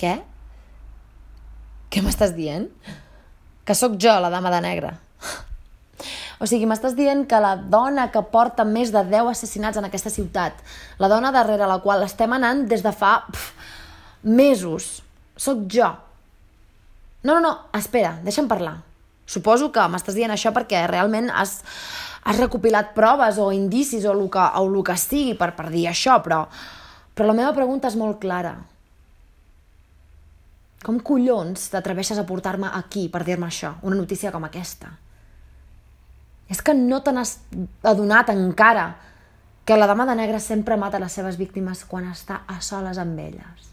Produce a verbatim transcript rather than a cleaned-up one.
Què? Què m'estàs dient? Que sóc jo, la dama de negre. O sigui, m'estàs dient que la dona que porta més de deu assassinats en aquesta ciutat, la dona darrere la qual estem anant des de fa pf, mesos, sóc jo. No, no, no, espera, deixa'm parlar. Suposo que m'estàs dient això perquè realment has, has recopilat proves o indicis o el que, o el que sigui per, per dir això, però, però la meva pregunta és molt clara. Com collons t'atreveixes a portar-me aquí per dir-me això, una notícia com aquesta? És que no te n'has adonat encara que la dama de negre sempre mata les seves víctimes quan està a soles amb elles.